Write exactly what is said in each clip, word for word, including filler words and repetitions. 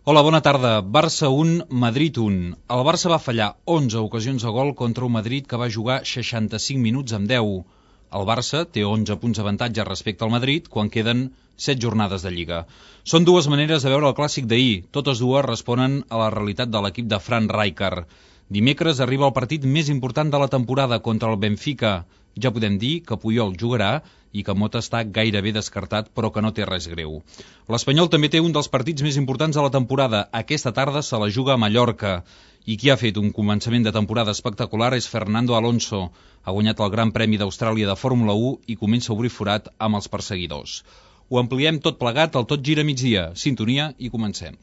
Hola, bona tarda. Barça un, Madrid un. El Barça va fallar onze ocasions de gol contra un Madrid que va jugar seixanta-cinc minuts amb deu. El Barça té onze punts d'avantatge respecte al Madrid quan queden set jornades de Lliga. Són dues maneres de veure el clàssic d'ahir. Totes dues responen a la realitat de l'equip de Frank Rijkaard. Dimecres arriba el partit més important de la temporada contra el Benfica. Ja podem dir que Puyol jugarà i que Mota està gairebé descartat, però que no té res greu. L'Espanyol també té un dels partits més importants de la temporada. Aquesta tarda se la juga a Mallorca. I qui ha fet un començament de temporada espectacular és Fernando Alonso. Ha guanyat el Gran Premi d'Austràlia de Fórmula u i comença a obrir forat amb els perseguidors. Ho ampliem tot plegat al Tot Gira Migdia. Sintonia i comencem.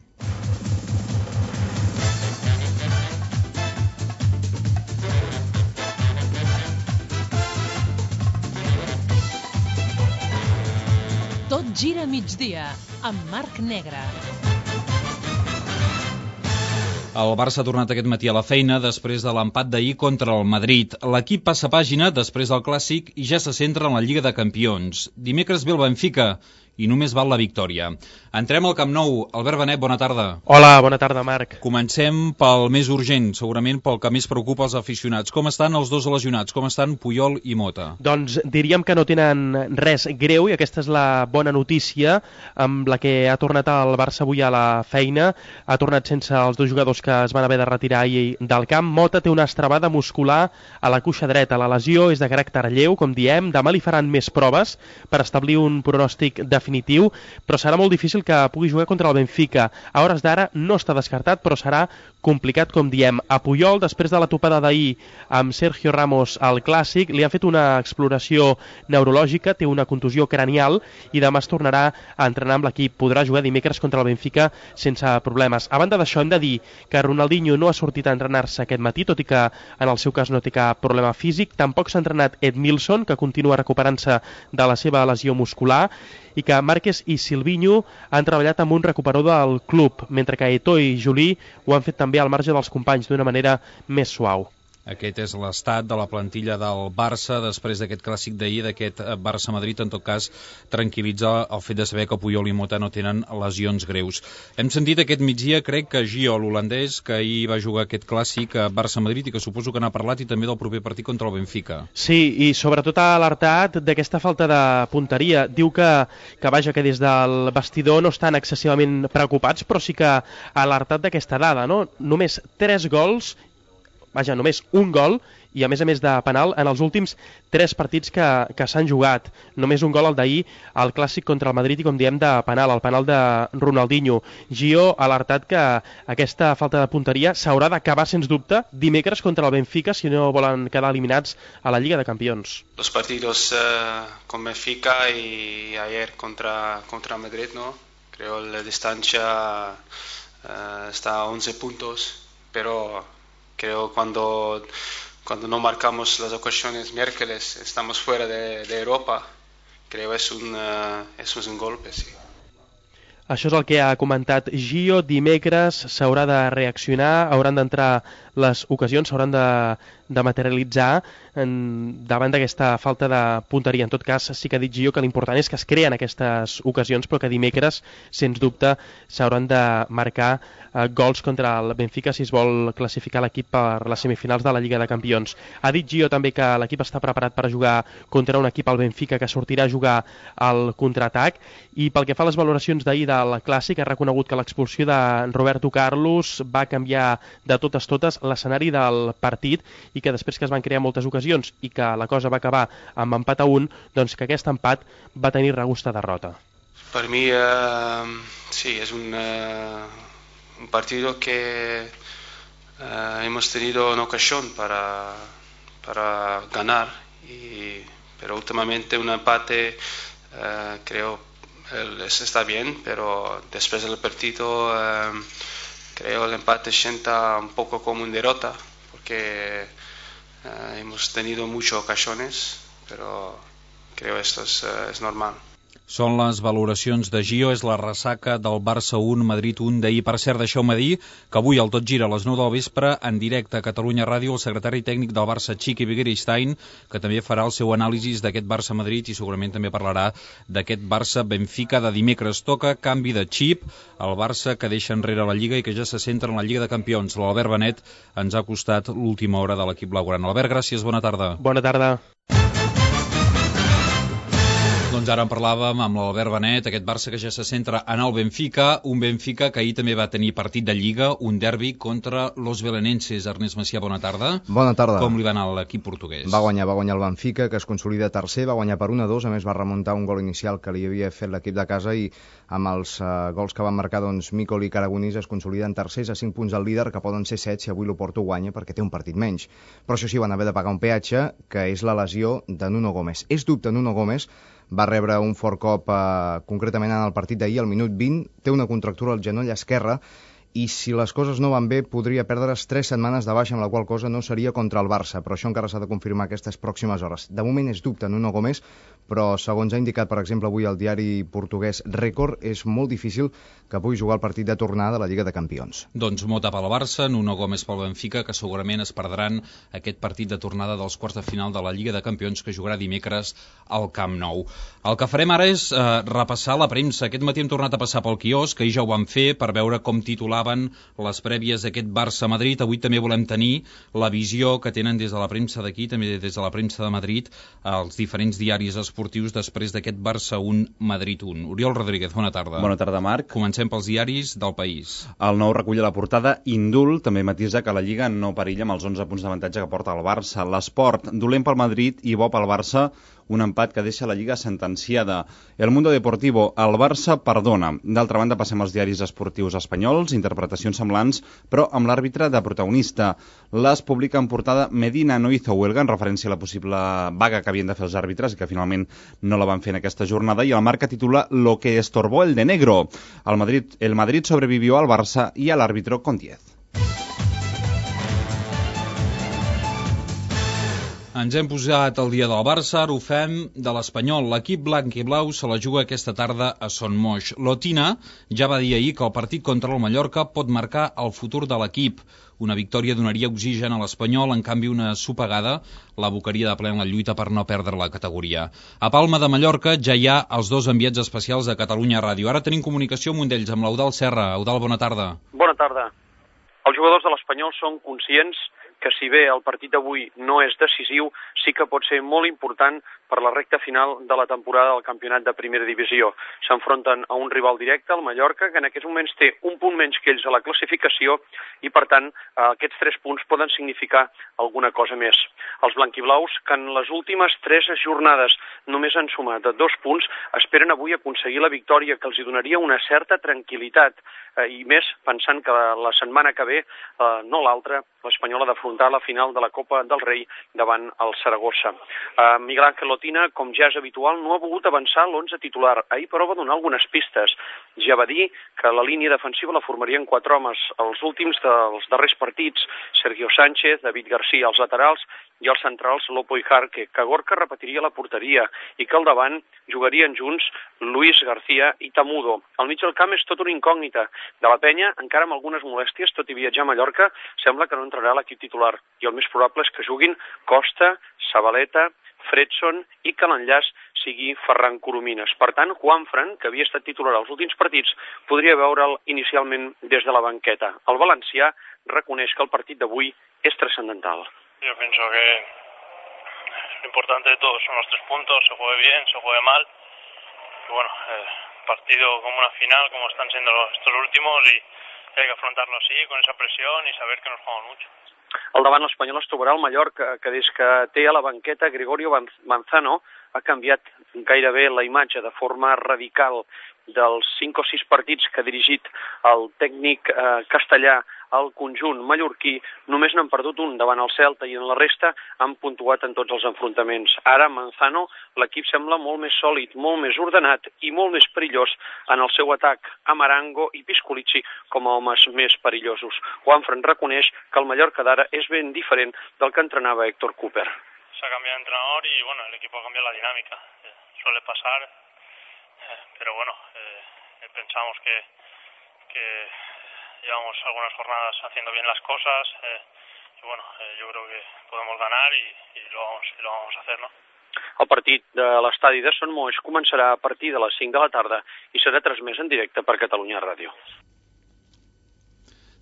Tot gira migdia, amb Marc Negre. El Barça ha tornat aquest matí a la feina després de l'empat d'ahir contra el Madrid. L'equip passa pàgina després del Clàssic i ja se centra en la Lliga de Campions. Dimecres ve el Benfica i només val la victòria. Entrem al Camp Nou. Albert Benet, bona tarda. Hola, bona tarda, Marc. Comencem pel més urgent, segurament pel que més preocupa els aficionats. Com estan els dos lesionats? Com estan Puyol i Mota? Doncs diríem que no tenen res greu i aquesta és la bona notícia amb la que ha tornat el Barça avui a la feina. Ha tornat sense els dos jugadors que es van haver de retirar ahir del camp. Mota té una estrabada muscular a la cuixa dreta. La lesió és de caràcter lleu, com diem. Demà li faran més proves per establir un pronòstic definitiu, però serà molt difícil que pugui jugar contra el Benfica. A hores d'ara no està descartat, però serà complicat, com diem. A Puyol, després de la topada d'ahir amb Sergio Ramos al Clàssic, li han fet una exploració neurològica, té una contusió cranial i demà es tornarà a entrenar amb l'equip. Podrà jugar dimecres contra el Benfica sense problemes. A banda d'això, hem de dir que Ronaldinho no ha sortit a entrenar-se aquest matí, tot i que en el seu cas no té cap problema físic. Tampoc s'ha entrenat Edmilson, que continua recuperant-se de la seva lesió muscular, i que Márquez i Silvinho han treballat amb un recuperador del club, mentre que Eto'o i Juli ho han fet també al marge dels companys d'una manera més suau. Aquest és l'estat de la plantilla del Barça després d'aquest clàssic d'ahir, d'aquest Barça-Madrid. En tot cas, tranquil·litza el fet de saber que Puyol i Mota no tenen lesions greus. Hem sentit aquest migdia, crec que Gio, l'holandès, que ahir va jugar aquest clàssic a Barça-Madrid i que suposo que n'ha parlat, i també del proper partit contra el Benfica. Sí, i sobretot ha alertat d'aquesta falta de punteria. Diu que, que vaja, que des del vestidor no estan excessivament preocupats, però sí que ha alertat d'aquesta dada, no? Només tres gols, vaja, només un gol, i a més a més de penal en els últims tres partits que, que s'han jugat. Només un gol el d'ahir al Clàssic contra el Madrid i, com diem, de penal, el penal de Ronaldinho. Gio ha alertat que aquesta falta de punteria s'haurà d'acabar, sens dubte, dimecres contra el Benfica si no volen quedar eliminats a la Lliga de Campions. Los partidos uh, con Benfica y ayer contra, contra Madrid, ¿no? Creo la distancia uh, está a once puntos, pero creo cuando, cuando no marcamos las ocasiones miércoles estamos fuera de, de Europa. Creo es un, uh, eso es un golpe, sí. Això és el que ha comentat Gio. Dimecres s'haurà de reaccionar, hauran d'entrar les ocasions, s'hauran de, de materialitzar en, davant d'aquesta falta de punteria. En tot cas, sí que ha dit Gio que l'important és que es creen aquestes ocasions, però que dimecres, sens dubte, s'hauran de marcar eh, gols contra el Benfica si es vol classificar l'equip per les semifinals de la Lliga de Campions. Ha dit Gio també que l'equip està preparat per jugar contra un equip, al Benfica, que sortirà a jugar al contraatac, i pel que fa a les valoracions d'ahir del Clàssic, ha reconegut que l'expulsió de Roberto Carlos va canviar de totes totes l'escenari del partit i que després que es van crear moltes ocasions i que la cosa va acabar amb empat a un, doncs que aquest empat va tenir regust a derrota. Per mi, uh, sí, es un, uh, un partido que uh, hemos tenido una ocasión para, para ganar, y, pero últimamente un empate uh, creo está bien, pero después del partido eh, creo el empate sienta un poco como una derrota, porque eh, hemos tenido muchas ocasiones, pero creo esto es, eh, es normal. Són les valoracions de Gio, és la ressaca del Barça un, Madrid un d'ahir. Per cert, deixeu-me dir que avui al Tot Gira a les nou del vespre, en directe a Catalunya Ràdio, el secretari tècnic del Barça, Quique Begiristain, que també farà el seu anàlisi d'aquest Barça-Madrid i segurament també parlarà d'aquest Barça-Benfica de dimecres. Toca canvi de xip, el Barça que deixa enrere la Lliga i que ja se centra en la Lliga de Campions. L'Albert Benet ens ha costat l'última hora de l'equip blaugrana. Albert, gràcies, bona tarda. Bona tarda. Doncs ara en parlàvem amb l'Albert Benet, aquest Barça que ja se centra en el Benfica, un Benfica que ahir també va tenir partit de Lliga, un derbi contra los belenenses. Ernest Macià, bona tarda. Bona tarda. Com li va anar a l'equip portuguès? Va guanyar, va guanyar el Benfica, que es consolida tercer, va guanyar per un a dos, a més va remuntar un gol inicial que li havia fet l'equip de casa i amb els uh, gols que van marcar doncs, Micol i Caragonís es consoliden tercers a cinc punts al líder, que poden ser set si avui l'Oporto guanya perquè té un partit menys. Però això sí, van haver de pagar un peatge, que és la lesió de Nuno Gómez. És dubte Nuno Gómez, va rebre un fort cop eh, concretament en el partit d'ahir, al minut vint, té una contractura al genoll esquerre i si les coses no van bé podria perdre's tres setmanes de baixa, amb la qual cosa no seria contra el Barça, però això encara s'ha de confirmar aquestes pròximes hores. De moment és dubte Nuno Gómez, però segons ha indicat, per exemple, avui el diari portuguès Record, és molt difícil que pugui jugar el partit de tornada de la Lliga de Campions. Doncs mota pel Barça, Nuno Gómez pel Benfica, que segurament es perdran aquest partit de tornada dels quarts de final de la Lliga de Campions que jugarà dimecres al Camp Nou. El que farem ara és eh, repassar la premsa. Aquest matí hem tornat a passar pel quiosc, que ahir ja ho vam fer, per veure com titulaven les prèvies d'aquest Barça-Madrid. Avui també volem tenir la visió que tenen des de la premsa d'aquí, també des de la premsa de Madrid, els diferents diaris esportius després d'aquest Barça un, Madrid un. Oriol Rodríguez, bona tarda. Bona tarda, Marc. Comencem pels diaris del país. El Nou recull a la portada Indult, també matisa que la Lliga no perilla amb els onze punts d'avantatge que porta el Barça. L'Esport, dolent pel Madrid i bo pel Barça, un empat que deixa la Lliga sentenciada. El Mundo Deportivo, el Barça perdona. D'altra banda, passem als diaris esportius espanyols, interpretacions semblants, però amb l'àrbitre de protagonista. Les publica en portada Medina no hizo huelga, en referència a la possible vaga que havien de fer els àrbitres i que finalment no la van fer en aquesta jornada, i el Marca titula Lo que estorbó el de negro. El Madrid, el Madrid sobrevivió al Barça i a l'àrbitro con diez. Ens hem posat el dia del Barça, ara ho fem de l'Espanyol. L'equip blanc i blau se la juga aquesta tarda a Son Moix. L'Otina ja va dir ahir que el partit contra el Mallorca pot marcar el futur de l'equip. Una victòria donaria oxigen a l'Espanyol, en canvi una sopegada l'abocaria de ple en la lluita per no perdre la categoria. A Palma de Mallorca ja hi ha els dos enviats especials de Catalunya Ràdio. Ara tenim comunicació amb un d'ells, amb l'Eudald Serra. Eudald, bona tarda. Bona tarda. Els jugadors de l'Espanyol són conscients que si bé el partit d'avui no és decisiu, sí que pot ser molt important per la recta final de la temporada del campionat de primera divisió. S'enfronten a un rival directe, el Mallorca, que en aquests moments té un punt menys que ells a la classificació i, per tant, aquests tres punts poden significar alguna cosa més. Els blanquiblaus, que en les últimes tres jornades només han sumat dos punts, esperen avui aconseguir la victòria que els donaria una certa tranquil·litat, i més pensant que la setmana que ve, no l'altra, l'Espanyol ha d'afrontar la final de la Copa del Rei davant el Saragossa. Miguel Ángel Otina, com ja és habitual, no ha volgut avançar l'onze titular. Ahir, però, va donar algunes pistes. Ja va dir que la línia defensiva la formarien quatre homes. Els últims dels darrers partits, Sergio Sánchez, David García als laterals i els centrals Lopo i Jarque, que Gorka repetiria la porteria i que al davant jugarien junts Luis García i Tamudo. Al mig del camp és tot una incògnita. De la Penya, encara amb algunes molèsties, tot i viatjar a Mallorca, sembla que no entrarà a l'equip titular. I el més probable és que juguin Costa, Zabaleta, Fredson i que l'enllaç sigui Ferran Coromines. Per tant, Juanfran, que havia estat titular als últims partits, podria veure'l inicialment des de la banqueta. El valencià reconeix que el partit d'avui és trascendental. Yo pienso que lo importante de todo son los tres puntos, se juegue bien, se juegue mal. Y bueno, eh, partido como una final, como están siendo estos últimos, y hay que afrontarlo así, con esa presión y saber que nos jugamos mucho. Al davant l'Espanyol es trobarà el Mallorca, que des que té a la banqueta Gregorio Manzano ha canviat gairebé la imatge de forma radical. Dels cinc o sis partits que ha dirigit el tècnic eh, castellà al conjunt mallorquí, només n'han perdut un davant el Celta i en la resta han puntuat en tots els enfrontaments. Ara, Manzano, l'equip sembla molt més sòlid, molt més ordenat i molt més perillós en el seu atac. Amarango i Pisculici com a homes més perillosos. Juanfran reconeix que el Mallorca d'ara és ben diferent del que entrenava Héctor Cooper. Se ha cambiado de entrenador y bueno, el equipo ha cambiado la dinámica. Suele pasar. eh, pero bueno, eh, pensamos que, que llevamos algunas jornadas haciendo bien las cosas, eh, y bueno, eh, yo creo que podemos ganar y, y, lo vamos, y lo vamos a hacer, ¿no? El partit de l'estadi de Sant Moix començarà a partir de les cinc de la tarda i serà transmès en directe per Catalunya Ràdio.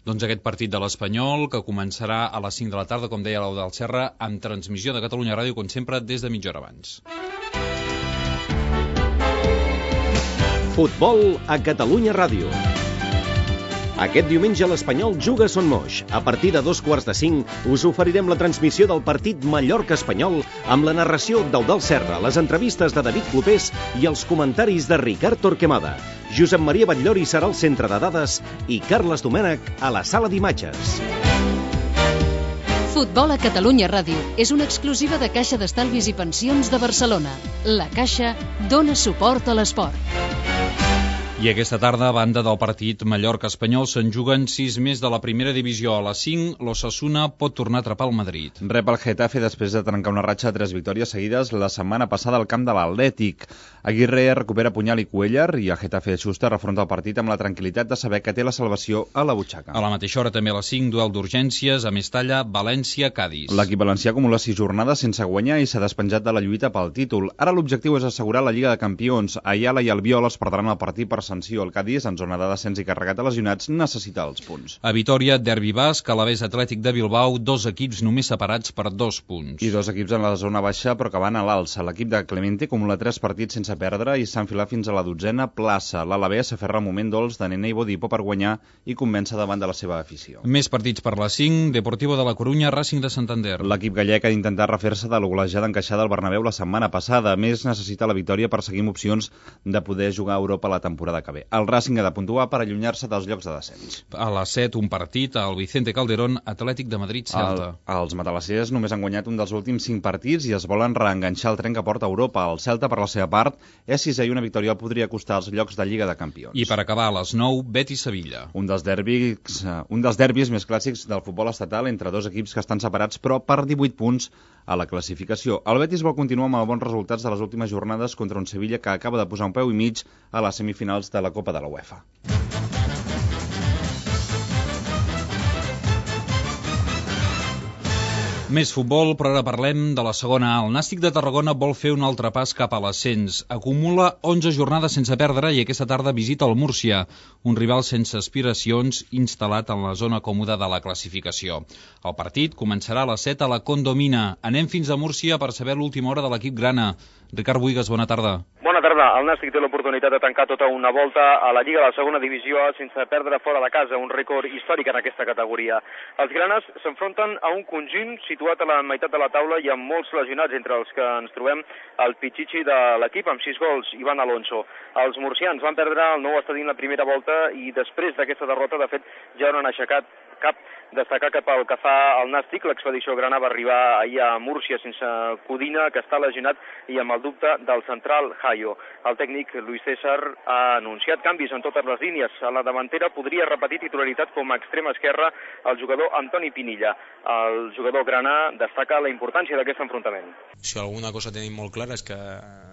Doncs aquest partit de l'Espanyol, que començarà a les cinc de la tarda, com deia l'Eudald Serra, amb transmissió de Catalunya Ràdio, com sempre, des de mitja hora abans. Futbol a Catalunya Ràdio. Aquest diumenge l'Espanyol juga a Son Moix. A partir de dos quarts de cinc us oferirem la transmissió del partit Mallorca-Espanyol amb la narració d'Eudald Serra, les entrevistes de David Clopés i els comentaris de Ricard Torquemada. Josep Maria Batllori serà al centre de dades i Carles Domènech a la sala d'imatges. Futbol a Catalunya Ràdio és una exclusiva de Caixa d'Estalvis i Pensions de Barcelona. La Caixa dona suport a l'esport. I aquesta tarda, a banda del partit Mallorca-Espanyol, se'n juguen sis més de la primera divisió. A les cinc, l'Osasuna pot tornar a atrapar el Madrid. Rep el Getafe després de trencar una ratxa de tres victòries seguides la setmana passada al camp de l'Atlètic. Aguirre recupera punyal i Cuéllar i el Getafe Schuster afronta el partit amb la tranquil·litat de saber que té la salvació a la butxaca. A la mateixa hora, també a les cinc, duel d'urgències a Mestalla, València, Cadis. L'equip valencià acumula sis jornades sense guanyar i s'ha despenjat de la lluita pel títol. Ara l'objectiu és assegurar la Lliga de Campions. Ayala i Albiol es perdran el partit per sanció. El Cádiz, en zona de descens i carregat a lesionats, necessita els punts. A Vitòria, derbi basc, Alavés Atlètic de Bilbao, dos equips només separats per dos punts. I dos equips en la zona baixa però que van a l'alça. L'equip de Clemente acumula tres partits sense perdre i s'ha enfilat fins a la dotzena plaça. L'Alavés s'aferra al moment dolç de Nene i Bodipo per guanyar i convèncer davant de la seva afició. Més partits per les cinc, Deportivo de la Corunya, Racing de Santander. L'equip gallec ha d'intentar refer-se de la golejada encaixada al Bernabéu la setmana passada. A més, necessita la victòria per seguir amb opcions de poder jugar a Europa la temporada que ve. El Racing ha de puntuar per allunyar-se dels llocs de descens. A les set, un partit al Vicente Calderón, Atlètic de Madrid-Celta. El, els matalassers només han guanyat un dels últims cinc partits i es volen reenganxar el tren que porta a Europa. El Celta, per la seva part, és sisè i una victòria el podria costar els llocs de Lliga de Campions. I per acabar, a les nou, Betis-Sevilla. Un dels derbis, un dels derbis més clàssics del futbol estatal entre dos equips que estan separats però per divuit punts a la classificació. El Betis vol continuar amb els bons resultats de les últimes jornades contra un Sevilla que acaba de posar un peu i mig a les semifinals de la Copa de la UEFA. Més futbol, però ara parlem de la segona A. El Nàstic de Tarragona vol fer un altre pas cap a l'ascens. Acumula onze jornades sense perdre i aquesta tarda visita el Múrcia, un rival sense aspiracions instal·lat en la zona còmoda de la classificació. El partit començarà a les set a la Condomina. Anem fins a Múrcia per saber l'última hora de l'equip grana. Ricard Buigas, bona tarda. Bona tarda. El Nàstic té l'oportunitat de tancar tota una volta a la Lliga de la segona divisió sense perdre fora de casa, un rècord històric en aquesta categoria. Els granes s'enfronten a un conjunt situat a la meitat de la taula i amb molts lesionats, entre els que ens trobem el pitxitxi de l'equip amb sis gols, Ivan Alonso. Els murcians van perdre el nou estadi en la primera volta i després d'aquesta derrota, de fet, ja no han aixecat cap. Destacar que pel que fa al Nàstic, l'expedició grana va arribar ahir a Múrcia sense Codina, que està lesionat, i amb el dubte del central Jaio. El tècnic Luis César ha anunciat canvis en totes les línies. A la davantera podria repetir titularitat com a extrema esquerra el jugador Antoni Pinilla. El jugador grana destaca la importància d'aquest enfrontament. Si alguna cosa tenim molt clara és que,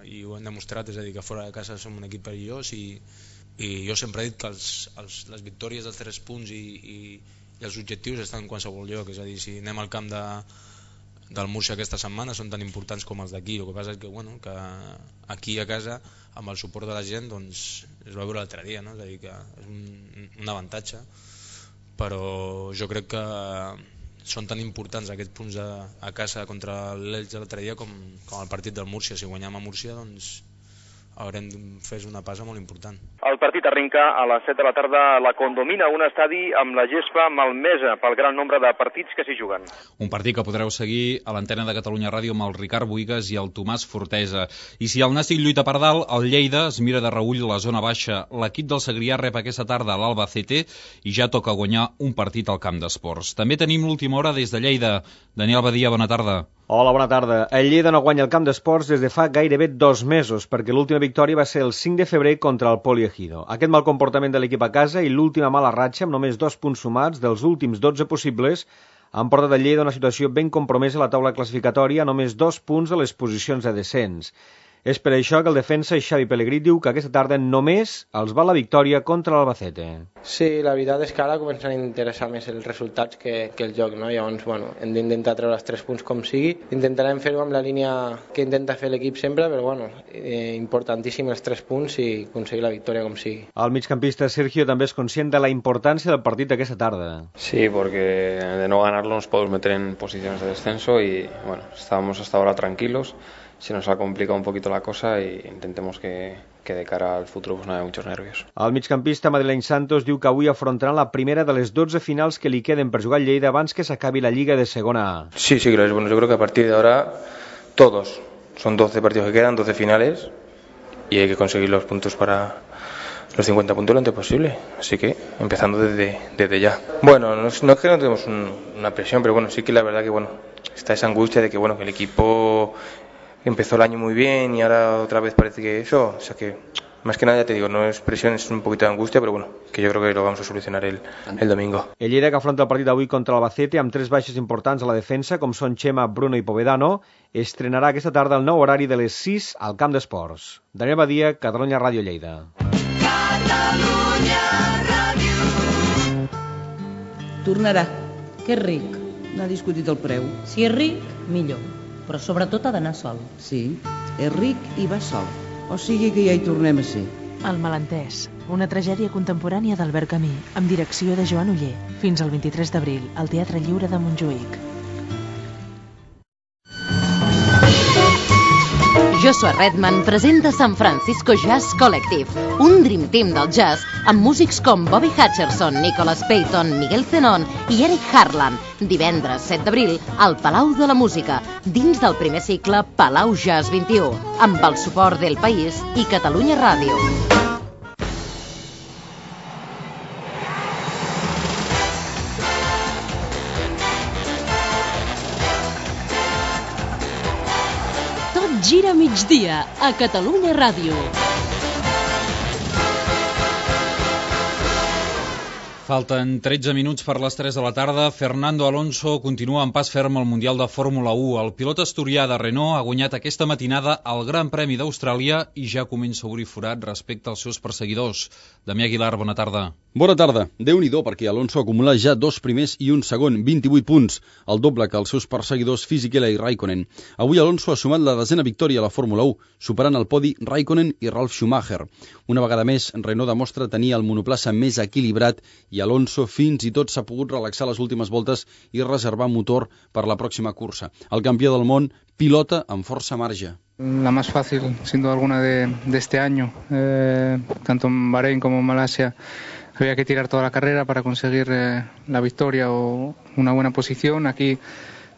i ho hem demostrat, és a dir, que fora de casa som un equip perillós i, i jo sempre he dit que els, els, les victòries dels tres punts i, i i els objectius estan en qualsevol lloc, és a dir, si anem al camp de, del Múrcia aquesta setmana són tan importants com els d'aquí. El que passa és que, bueno, que aquí a casa, amb el suport de la gent, doncs, es va veure l'altre dia, no? És a dir, que és un, un avantatge, però jo crec que són tan importants aquests punts a, a casa contra l'Elx de l'altre dia com, com el partit del Múrcia. Si guanyem a Múrcia, doncs haurem fet una passa molt important. El partit arrenca a les set de la tarda a la Condomina, un estadi amb la gespa malmesa pel gran nombre de partits que s'hi juguen. Un partit que podreu seguir a l'antena de Catalunya Ràdio amb el Ricard Buigas i el Tomàs Fortesa. I si el Nàstic lluita per dalt, el Lleida es mira de reull la zona baixa. L'equip del Segrià rep aquesta tarda l'Albacete i ja toca guanyar un partit al camp d'esports. També tenim l'última hora des de Lleida. Daniel Badia, bona tarda. Hola, bona tarda. El Lleida no guanya el camp d'esports des de fa gairebé dos mesos, perquè l'última victòria va ser el cinc de febrer contra el Poliegido. Aquest mal comportament de l'equip a casa i l'última mala ratxa, amb només dos punts sumats dels últims dotze possibles, han portat el Lleida a una situació ben compromesa a la taula classificatòria, a només dos punts a les posicions de descens. És per això que el defensa Xavi Pellegrí diu que aquesta tarda només els va la victòria contra l'Albacete. Sí, la veritat és que ara comencen a interessar més els resultats que, que el joc, no? Llavors, bueno, hem d'intentar treure els tres punts com sigui. Intentarem fer-ho amb la línia que intenta fer l'equip sempre, però bueno, eh, importantíssim els tres punts i aconseguir la victòria com sigui. El migcampista Sergio també és conscient de la importància del partit d'aquesta tarda. Sí, porque de no ganarlo nos podemos meter en posiciones de descenso y bueno, estábamos hasta ahora tranquilos. Se nos ha complicado un poquito la cosa y intentemos que, que de cara al futuro pues no haya muchos nervios. El migcampista madrileny Santos diu que avui afrontaran la primera de les dotze finals que li queden per jugar al Lleida abans que s'acabi la Lliga de Segona A. Sí, sí, claro. Bueno, yo creo que a partir de ahora todos, son doce partidos que quedan, doce finales y hay que conseguir los puntos para los cincuenta puntos lo antes posible, así que empezando desde, desde ya. Bueno, no es, no es que no tenemos un, una presión, pero bueno, sí que la verdad que bueno, está esa angustia de que bueno, que el equipo empezó el año muy bien y ahora otra vez parece que eso, o sea que más que nada ya te digo, no es presión, es un poquito de angustia, pero bueno, que yo creo que lo vamos a solucionar el, el domingo. El Lleida que afronta el partit d'avui contra l'Albacete amb tres baixes importants a la defensa, com són Chema, Bruno i Povedano, estrenarà aquesta tarda el nou horari de les sis al Camp d'Esports. Daniel Badia, Catalunya Ràdio Lleida. Catalunya Ràdio. Tornarà, que és ric, n'ha discutit el preu. Si és ric, millor, però sobretot ha d'anar sol. Sí, és ric i va sol. O sigui que ja hi tornem a ser. El malentès, una tragèdia contemporània d'Albert Camus, amb direcció de Joan Oller. Fins al vint-i-tres d'abril, al Teatre Lliure de Montjuïc. Joshua Redman presenta San Francisco Jazz Collective, un dream team del jazz amb músics com Bobby Hutcherson, Nicholas Payton, Miguel Zenón i Eric Harland. Divendres set d'abril al Palau de la Música, dins del primer cicle Palau Jazz vint-i-u, amb el suport del País i Catalunya Ràdio. Gira migdia a Catalunya Ràdio. Falten tretze minuts per les tres de la tarda. Fernando Alonso continua en pas ferm al Mundial de Fórmula u. El pilot asturià de Renault ha guanyat aquesta matinada el Gran Premi d'Austràlia i ja comença a obrir forat respecte als seus perseguidors. Damià Aguilar, bona tarda. Bona tarda. Déu-n'hi-do, perquè Alonso acumula ja dos primers i un segon, vint-i-vuit punts, el doble que els seus perseguidors Fisichella i Raikkonen. Avui Alonso ha sumat la desena victòria a la Fórmula u, superant al podi Raikkonen i Ralf Schumacher. Una vegada més, Renault demostra tenir el monoplaça més equilibrat i Alonso fins i tot s'ha pogut relaxar les últimes voltes i reservar motor per la pròxima cursa. El campió del món pilota amb força marge. La más fácil, sin duda alguna, de, de este año. Eh, tanto en Bahrein como en Malasia había que tirar toda la carrera para conseguir eh, la victoria o una buena posición. Aquí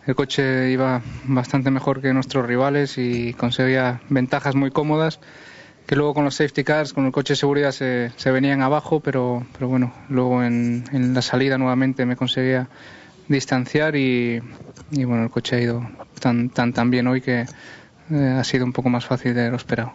el coche iba bastante mejor que nuestros rivales y conseguía ventajas muy cómodas que luego con los safety cars, con el coche de seguridad se, se venían abajo, pero, pero bueno, luego en, en la salida nuevamente me conseguía distanciar y, y bueno, el coche ha ido tan, tan, tan bien hoy que eh, ha sido un poco más fácil de lo esperado.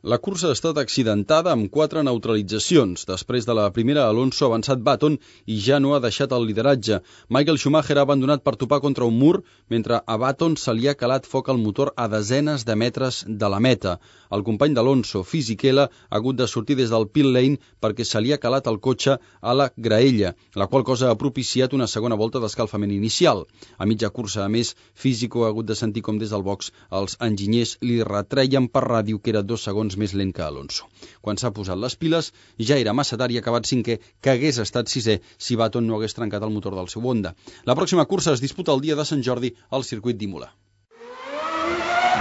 La cursa ha estat accidentada amb quatre neutralitzacions. Després de la primera, Alonso ha avançat Button i ja no ha deixat el lideratge. Michael Schumacher ha abandonat per topar contra un mur, mentre a Button se li ha calat foc al motor a desenes de metres de la meta. El company d'Alonso, Fisichella, ha hagut de sortir des del pit lane perquè se li ha calat el cotxe a la graella, la qual cosa ha propiciat una segona volta d'escalfament inicial. A mitja cursa, a més, Fisico ha hagut de sentir com des del box els enginyers li retreien per ràdio que era dos segons més lent que Alonso. Quan s'ha posat les piles, ja era massa tard i ha acabat cinquè, que hagués estat sisè si Button no hagués trencat el motor del seu Honda. La pròxima cursa es disputa el dia de Sant Jordi al circuit d'Imola.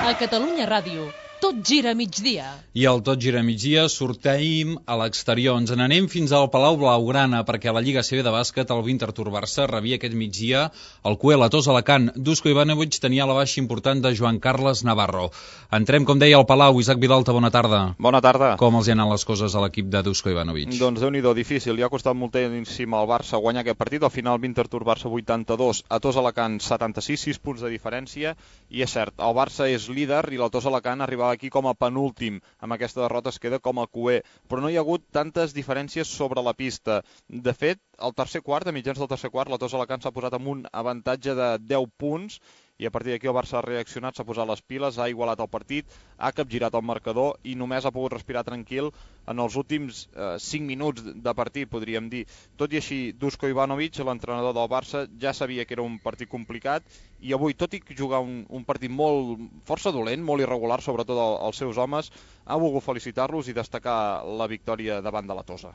A Catalunya Ràdio, tot gira a migdia. I al Tot gira a migdia sorteim a l'exterior. Ens n'anem fins al Palau Blaugrana perquè a la Lliga C B de bàsquet el Winterthur Barça rebia aquest migdia el Cuel a Tos Alacant. Dusko Ivanovic tenia la baixa important de Joan Carles Navarro. Entrem, com deia, al Palau. Isaac Vilalta, bona tarda. Bona tarda. Com els hi han anat les coses a l'equip de Dusko Ivanovic? Doncs déu-n'hi-do, difícil. Li ha costat moltíssim al Barça guanyar aquest partit. Al final, Winterthur Barça vuitanta-dos, a Tos Alacant setanta-sis, sis punts de diferència. I és cert, el Barça és líder i la Tos Alacant arribava aquí com a penúltim. Amb aquesta derrota es queda com a cuer. Però no hi ha hagut tantes diferències sobre la pista. De fet, al tercer quart, a mitjans del tercer quart, la Tos Alacant s'ha posat amb un avantatge de deu punts i a partir d'aquí el Barça ha reaccionat, s'ha posat les piles, ha igualat el partit, ha capgirat el marcador i només ha pogut respirar tranquil en els últims eh, cinc minuts de partit, podríem dir. Tot i així, Duško Ivanović, l'entrenador del Barça, ja sabia que era un partit complicat i avui, tot i jugar un, un partit molt força dolent, molt irregular, sobretot el, els seus homes, ha volgut felicitar-los i destacar la victòria davant de la Tosa.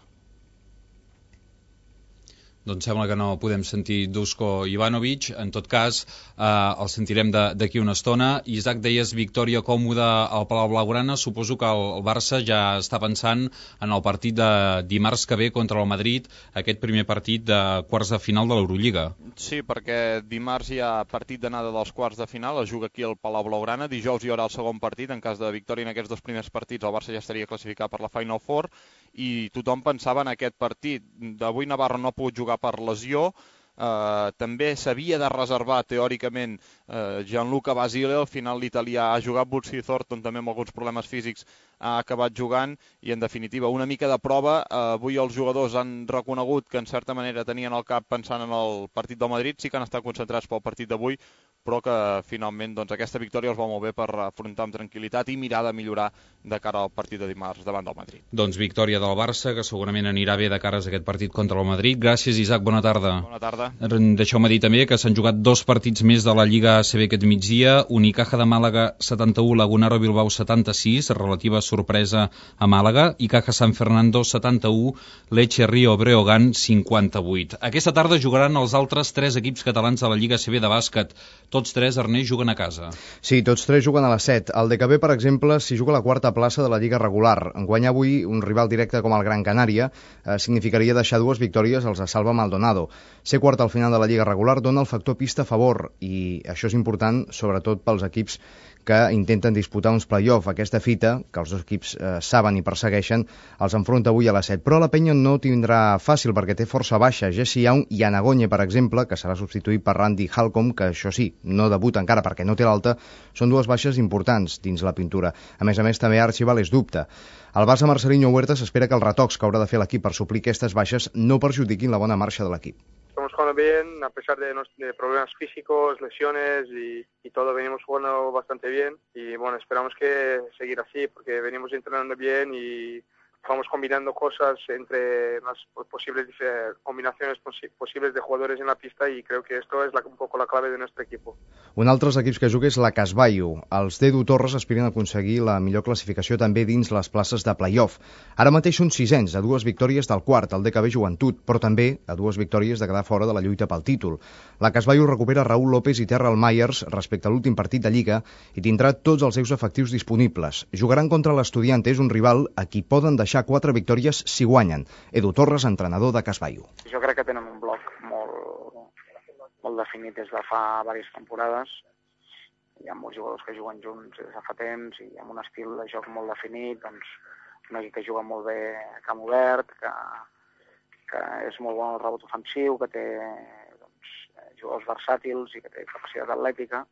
Doncs sembla que no podem sentir Duško Ivanović. En tot cas, eh, el sentirem d'aquí una estona. Isaac, deies victòria còmoda al Palau Blaugrana. Suposo que el, el Barça ja està pensant en el partit de dimarts que ve contra el Madrid, aquest primer partit de quarts de final de l'Eurolliga. Sí, perquè dimarts hi ha partit d'anada dels quarts de final, es juga aquí al Palau Blaugrana. Dijous hi haurà el segon partit. En cas de victòria en aquests dos primers partits, el Barça ja estaria classificat per la Final Four i tothom pensava en aquest partit. D'avui Navarro no ha pogut jugar per lesió, eh, també s'havia de reservar teòricament eh, Gianluca Basile, al final l'italià ha jugat, Butzi Thornton també amb alguns problemes físics ha acabat jugant i en definitiva una mica de prova. Eh, avui els jugadors han reconegut que en certa manera tenien el cap pensant en el partit del Madrid, sí que han estat concentrats pel partit d'avui, però que finalment doncs, aquesta victòria els va molt bé per afrontar amb tranquil·litat i mirar de millorar de cara al partit de dimarts davant del Madrid. Doncs victòria del Barça, que segurament anirà bé de cares a aquest partit contra el Madrid. Gràcies, Isaac, bona tarda. Bona tarda. Deixeu-me dir també que s'han jugat dos partits més de la Lliga A C B aquest migdia. Unicaja de Màlaga setanta-u, Lagunaro Bilbao setanta-sis, relativa sorpresa a Màlaga, i Caja San Fernando setanta-u, Lecce Rio Breogán cinquanta-vuit. Aquesta tarda jugaran els altres tres equips catalans de la Lliga A C B de bàsquet. Tots tres, Ernest, juguen a casa. Sí, tots tres juguen a les set. El D K B, per exemple, s'hi juga a la quarta plaça de la Lliga regular. En guanyar avui un rival directe com el Gran Canària eh, significaria deixar dues victòries als de Salva Maldonado. Ser quart al final de la Lliga regular dona el factor pista a favor i això és important sobretot pels equips que intenten disputar uns play-off. Aquesta fita, que els dos equips eh, saben i persegueixen, els enfronta avui a les set. Però la penya no tindrà fàcil perquè té força baixa. Jesse Young i Anagogne, per exemple, que serà substituït per Randy Halcomb, que això sí, no debuta encara perquè no té l'alta, són dues baixes importants dins la pintura. A més a més, també Archibald és dubte. El Barça Marcelinho Huerta s'espera que els retocs que haurà de fer l'equip per suplir aquestes baixes no perjudiquin la bona marxa de l'equip. Estamos jugando bien, a pesar de, nos, de problemas físicos, lesiones y, y todo, venimos jugando bastante bien y bueno, esperamos que seguir así porque venimos entrenando bien y vamos combinando cosas entre las posibles combinaciones posibles de jugadores en la pista y creo que esto es la, un poco la clave de nuestro equipo. Un altre equips que juga és la Casbaio. Els d'Edu Torres aspiren a aconseguir la millor classificació també dins les places de play-off. Ara mateix són sisens, a dues victòries del quart, el D K B Joventut, però també a dues victòries de quedar fora de la lluita pel títol. La Casbaio recupera Raúl López i Terrell Myers respecte a l'últim partit de Lliga i tindrà tots els seus efectius disponibles. Jugaran contra l'Estudiantes, un rival a qui poden deixar quatre victòries si guanyen. Edu Torres, entrenador de Casbaio. Jo crec que tenen un bloc molt, molt definit des de fa diverses temporades. Hi ha molts jugadors que juguen junts des de fa temps i amb un estil de joc molt definit, doncs un equip que juga molt bé a camp obert, que, que és molt bon al rebot ofensiu, que té doncs, jugadors versàtils i que té capacitat atlètica.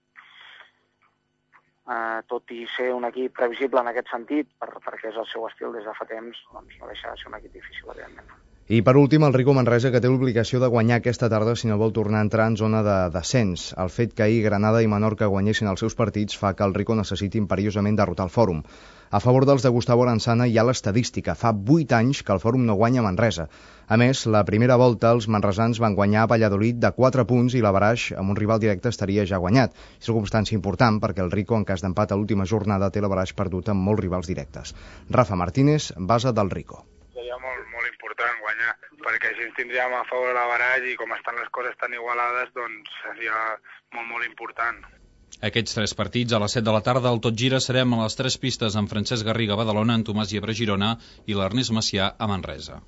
Uh, tot i ser un equip previsible en aquest sentit, per, perquè és el seu estil des de fa temps, doncs no deixa de ser un equip difícil, evidentment. I per últim, el Rico Manresa, que té l'obligació de guanyar aquesta tarda si no vol tornar a entrar en zona de descens. El fet que ahir Granada i Menorca guanyessin els seus partits fa que el Rico necessiti imperiosament derrotar el Fòrum. A favor dels de Gustavo Aranzana hi ha l'estadística. Fa vuit anys que el Fòrum no guanya a Manresa. A més, la primera volta els manresans van guanyar a Valladolid de quatre punts i l'Avaraix amb un rival directe estaria ja guanyat. És circumstància important perquè el Rico, en cas d'empat a l'última jornada, té l'Avaraix perdut amb molts rivals directes. Rafa Martínez, base del Rico. Seria molt, molt important guanyar, perquè així ens tindríem a favor l'Avaraix i com estan les coses tan igualades, doncs seria molt, molt important. Aquests tres partits a les set de la tarda al Tot Gira serem a les tres pistes amb Francesc Garriga a Badalona, en Tomàs Llebre a Girona i l'Ernest Macià a Manresa.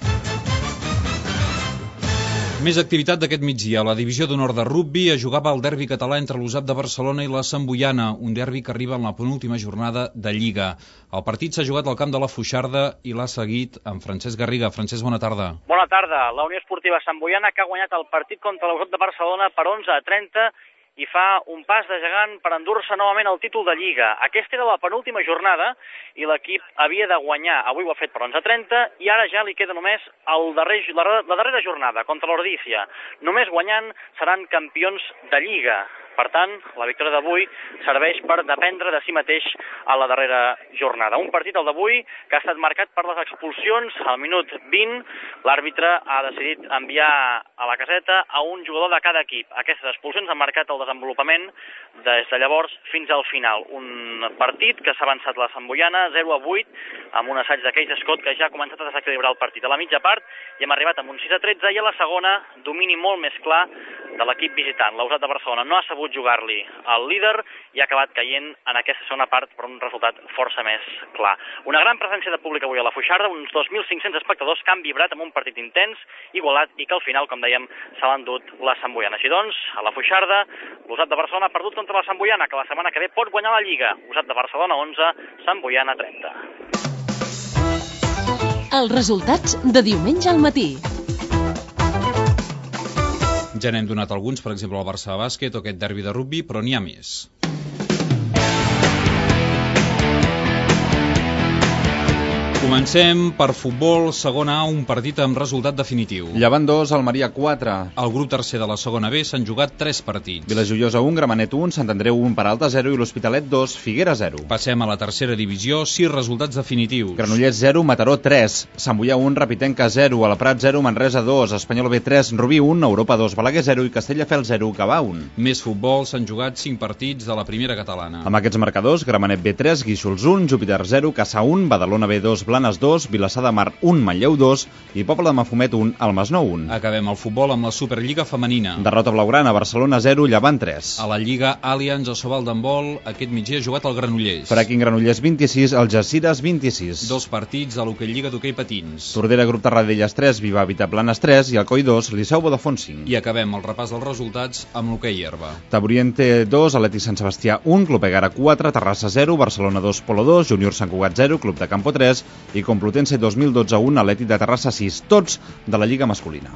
Més activitat d'aquest migdia. La divisió d'honor de rugbi es jugava el derbi català entre l'U S A P de Barcelona i la Santboiana, un derbi que arriba en la penúltima jornada de Lliga. El partit s'ha jugat al camp de la Foixarda i l'ha seguit amb Francesc Garriga. Francesc, bona tarda. Bona tarda. La Unió Esportiva Santboiana, que ha guanyat el partit contra l'U S A P de Barcelona per onze a trenta i fa un pas de gegant per endur-se novament el títol de Lliga. Aquesta era la penúltima jornada i l'equip havia de guanyar. Avui ho ha fet per onze a trenta i ara ja li queda només el darrer, la, la darrera jornada contra l'Ordícia. Només guanyant seran campions de Lliga. Per tant, la victòria d'avui serveix per dependre de si mateix a la darrera jornada. Un partit, el d'avui, que ha estat marcat per les expulsions. Al minut vint, l'àrbitre ha decidit enviar a la caseta a un jugador de cada equip. Aquestes expulsions han marcat el desenvolupament des de llavors fins al final. Un partit que s'ha avançat la Santboiana zero a vuit, amb un assaig de Keith Scott que ja ha començat a desequilibrar el partit. A la mitja part i hem arribat amb un sis a tretze i a la segona domini molt més clar de l'equip visitant. L'Ausat de Barcelona no ha sabut jugar-li al líder i ha acabat caient en aquesta segona part per un resultat força més clar. Una gran presència de públic avui a la Foixarda, uns dos mil cinc-cents espectadors que han vibrat amb un partit intens, igualat i que al final, com dèiem, se l'ha endut la Santboiana. Així doncs, a la Foixarda, l'Ausat de Barcelona ha perdut contra la Santboiana, que la setmana que ve pot guanyar la Lliga. Ausat de Barcelona onze, Santboiana trenta. Els resultats de diumenge al matí. Ja n'hem donat alguns, per exemple, el Barça de bàsquet o aquest derbi de rugbi, però n'hi ha més. Comencem per futbol, segona A, un partit amb resultat definitiu. Llevant dos, Almeria quatre. Al grup tercer de la segona B s'han jugat tres partits. Vilajoiosa un, Gramenet un, Sant Andreu un, Peralta zero i l'Hospitalet dos, Figuera zero. Passem a la tercera divisió, sis resultats definitius. Granollers zero, Mataró tres, Sant Boià un, Rapitenca zero, Alaprat zero, Manresa dos, Espanyol B tres, Rubí un, Europa dos, Balaguer zero i Castelldefels zero, Gavà un. Més futbol, s'han jugat cinc partits de la primera catalana. Amb aquests marcadors, Gramenet B tres, Guíxols un, Júpiter zero, Caçà un, Badalona B dos, Blanes dos, Vilassar de Mar un, Manlleu dos i Pobla de Mafumet un, el Masnou un. Acabem el futbol amb la Superliga femenina. Derrota blaugrana, Barcelona zero, Llevant tres. A la Lliga Allianz Asobal d'handbol, aquest migdia ha jugat el Granollers. Fracking Granollers vint-i-sis, Algeciras vint-i-sis. Dos partits a l'Hockey Lliga d'hoquei patins. Tordera Grup Tarradellas tres, Viva Vitaplanes tres i Alcoi dos, Liceu Vodafone cinc. I acabem el repàs dels resultats amb l'hoquei herba. Taburiente dos, Atlètic Sant Sebastià un, Club Egara quatre, Terrassa zero, Barcelona dos, Polo dos, Júnior Sant Cugat zero, Club de Campo tres i Complutense dos mil dotze un, Atlètic de Terrassa sis, tots de la Lliga masculina.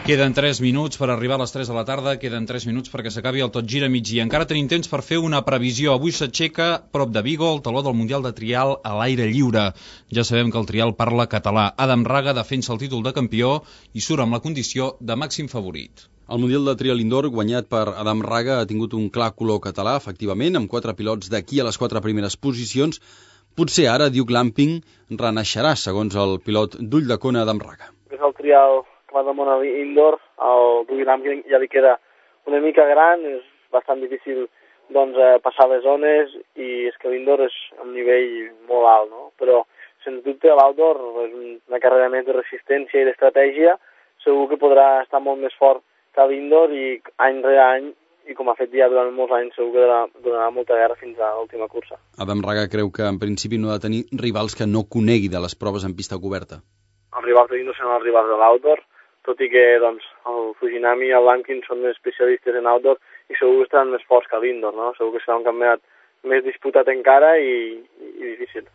Queden tres minuts per arribar a les tres de la tarda, queden tres minuts perquè s'acabi el Tot Gira migdia. Encara tenim temps per fer una previsió. Avui s'aixeca, prop de Vigo, el taló del Mundial de Trial a l'aire lliure. Ja sabem que el trial parla català. Adam Raga defensa el títol de campió i surt amb la condició de màxim favorit. El Mundial de Trial Indoor, guanyat per Adam Raga, ha tingut un clar color català, efectivament, amb quatre pilots d'aquí a les quatre primeres posicions. Potser ara Duke Lamping renaixerà, segons el pilot d'Ull de Cona, Adam Raga. És el trial que va damunt a l'Indoor, el Duke Lamping ja li queda una mica gran, és bastant difícil doncs, eh, passar les zones i és que l'Indoor és a un nivell molt alt, no? Però sens dubte l'Outdoor és una carrera més de resistència i d'estratègia, segur que podrà estar molt més fort que l'Indoor i any rere any, i com ha fet ja durant molts anys, segur que donarà, donarà molta guerra fins a l'última cursa. Adam Raga creu que en principi no ha de tenir rivals que no conegui de les proves en pista coberta. Els rivals de l'Indoor són els rivals de l'Outdoor, tot i que doncs, el Fujinami i el Lankin són més especialistes en outdoor i segur que estaran més forts que l'Indoor, no? Segur que serà un campionat més disputat encara i, i, i difícil.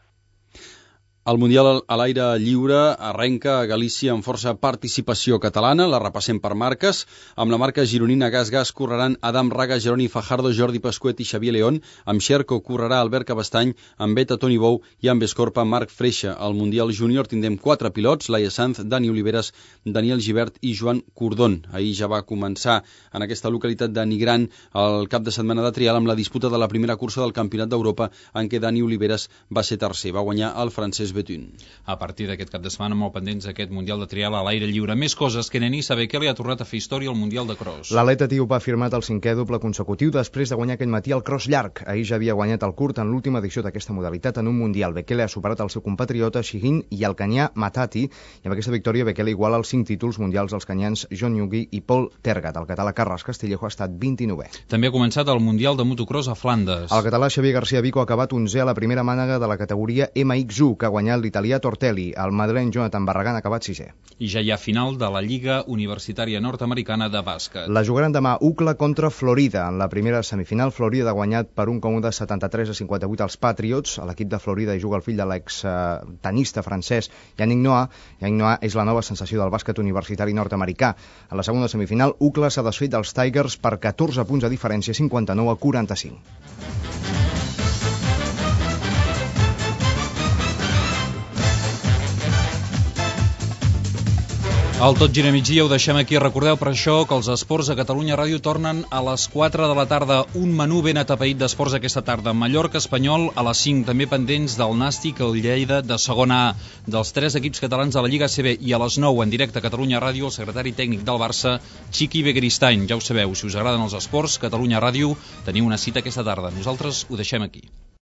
El Mundial a l'aire lliure arrenca a Galícia amb força participació catalana, la repassem per marques. Amb la marca gironina Gas Gas correran Adam Raga, Jeroni Fajardo, Jordi Pasquet i Xavier León. Amb Xerco correrà Albert Cabestany, amb Beta Toni Bou i amb Escorpa Marc Freixa. Al Mundial júnior tindrem quatre pilots, Laia Sanz, Dani Oliveres, Daniel Gibert i Joan Cordón. Ahir ja va començar en aquesta localitat de Nigran el cap de setmana de trial amb la disputa de la primera cursa del Campionat d'Europa en què Dani Oliveres va ser tercer. Va guanyar el francès Betun. A partir d'aquest cap de setmana, molt pendents d'aquest Mundial de Trial a l'aire lliure. Més coses, que Nenisa Bekele ha tornat a fer història al Mundial de Cross. L'atleta etíop ha firmat el cinquè doble consecutiu després de guanyar aquest matí el cross llarg. Ahir ja havia guanyat el curt en l'última edició d'aquesta modalitat en un Mundial. Bekele ha superat el seu compatriota Shihin i el canyà Matati, i amb aquesta victòria Bekele iguala els cinc títols mundials dels canyans John Newgy i Paul Tergat. El català Carles Castillejo ha estat vint-i-novè. També ha començat el Mundial de motocross a Flandes. El català Xavier García Vico ha acabat onzè a la primera mànega de la categoria M X u, que ha guanyat l'italià Tortelli. El madrileny Jonathan Barragán ha acabat sisè. I ja hi ha final de la Lliga Universitària Nord-Americana de Bàsquet. La jugaran demà U C L A contra Florida. En la primera semifinal, Florida ha guanyat per un còmode setanta-tres a cinquanta-vuit als Patriots. A l'equip de Florida hi juga el fill de l'ex-tenista francès Yannick Noah. Yannick Noah és la nova sensació del bàsquet universitari nord-americà. A la segona semifinal, U C L A s'ha desfet dels Tigers per catorze punts de diferència, cinquanta-nou a quaranta-cinc. El Tot gira migdia ho deixem aquí. Recordeu per això que els esports a Catalunya Ràdio tornen a les quatre de la tarda. Un menú ben atapeït d'esports aquesta tarda. Mallorca Espanyol a les cinc, també pendents del Nàstic el Lleida de segona A. Dels tres equips catalans de la Lliga A C B, i a les nou en directe a Catalunya Ràdio el secretari tècnic del Barça, Chiqui Begiristain. Ja ho sabeu, si us agraden els esports, Catalunya Ràdio, teniu una cita aquesta tarda. Nosaltres ho deixem aquí.